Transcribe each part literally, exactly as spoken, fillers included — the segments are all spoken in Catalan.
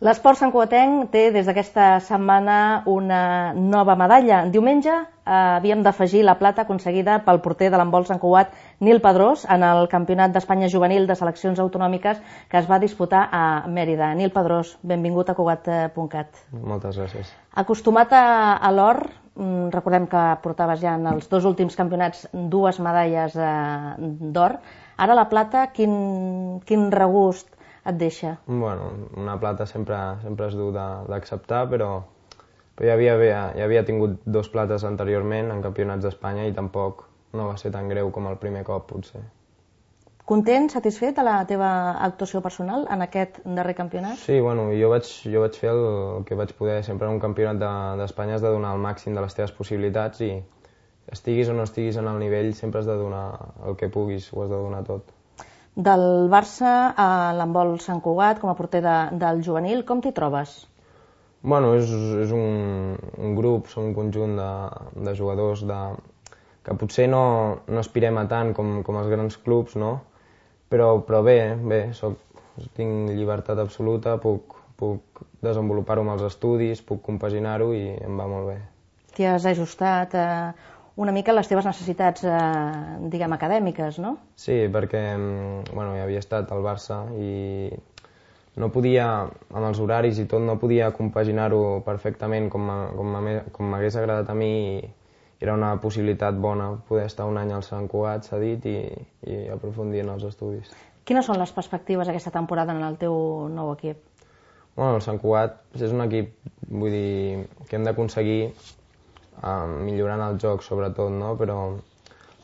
L'esport santcugatenc té des d'aquesta setmana una nova medalla. Diumenge eh, havíem d'afegir la plata aconseguida pel porter de l'handbol Sant Cugat, Nil Pedrós, en el Campionat d'Espanya Juvenil de Seleccions Autonòmiques que es va disputar a Mèrida. Nil Pedrós, benvingut a Cugat punt cat. Moltes gràcies. Acostumat a, a l'or, recordem que portaves ja en els dos últims campionats dues medalles eh, d'or. Ara la plata, quin, quin regust et deixa? Bueno, una plata sempre, sempre és dur d'acceptar, però, però ja, havia, ja havia tingut dos plates anteriorment en campionats d'Espanya i tampoc no va ser tan greu com el primer cop, potser. Content, satisfet de la teva actuació personal en aquest darrer campionat? Sí, bueno, jo vaig, jo vaig fer el que vaig poder. Sempre en un campionat d'Espanya has de donar el màxim de les teves possibilitats i estiguis o no estiguis en el nivell sempre has de donar el que puguis, ho has de donar tot. Del Barça a l'handbol Sant Cugat, com a porter de, del juvenil, com t'hi trobes? Bueno, és, és un, un grup, som un conjunt de, de jugadors de, que potser no, no aspirem a tant com, com els grans clubs, no? Però, però bé, bé soc, tinc llibertat absoluta, puc, puc desenvolupar-ho amb els estudis, puc compaginar-ho i em va molt bé. T'hi has ajustat a una mica les teves necessitats, eh, diguem, acadèmiques, no? Sí, perquè bueno, ja havia estat al Barça i no podia, amb els horaris i tot, no podia compaginar-ho perfectament com m'hagués agradat a mi i era una possibilitat bona poder estar un any al Sant Cugat, s'ha dit, i, i aprofundir en els estudis. Quines són les perspectives aquesta temporada en el teu nou equip? Bueno, el Sant Cugat és un equip, vull dir, que hem d'aconseguir Uh, millorant el joc sobretot, no? Però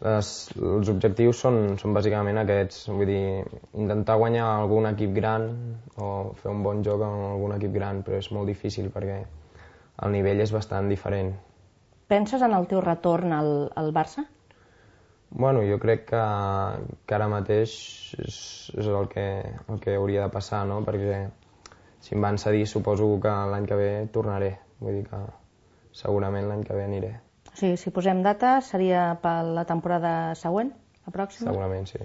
les, els objectius són, són bàsicament aquests, vull dir, intentar guanyar algun equip gran o fer un bon joc amb algun equip gran, però és molt difícil perquè el nivell és bastant diferent. Penses en el teu retorn al, al Barça? Bueno, jo crec que, que ara mateix és, és el, que, el que hauria de passar, no? Perquè si em van cedir suposo que l'any que ve tornaré, vull dir que segurament l'any que ve aniré. O sigui, si posem data, seria per la temporada següent, la pròxima? Segurament, sí.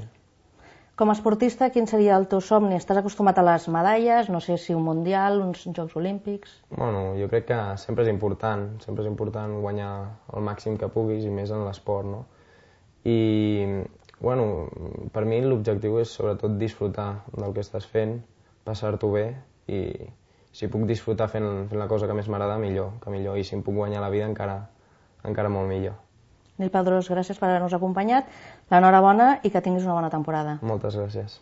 Com a esportista, quin seria el teu somni? Estàs acostumat a les medalles, no sé si un mundial, uns Jocs Olímpics? Bueno, jo crec que sempre és important, sempre és important guanyar el màxim que puguis i més en l'esport, no? I, bueno, per mi l'objectiu és sobretot disfrutar del que estàs fent, passar-t'ho bé i si puc disfrutar fent, fent la cosa que més m'agrada, millor, que millor. I si em puc guanyar la vida, encara, encara molt millor. Nil Pedrós, gràcies per haver-nos acompanyat. L'enhorabona i que tinguis una bona temporada. Moltes gràcies.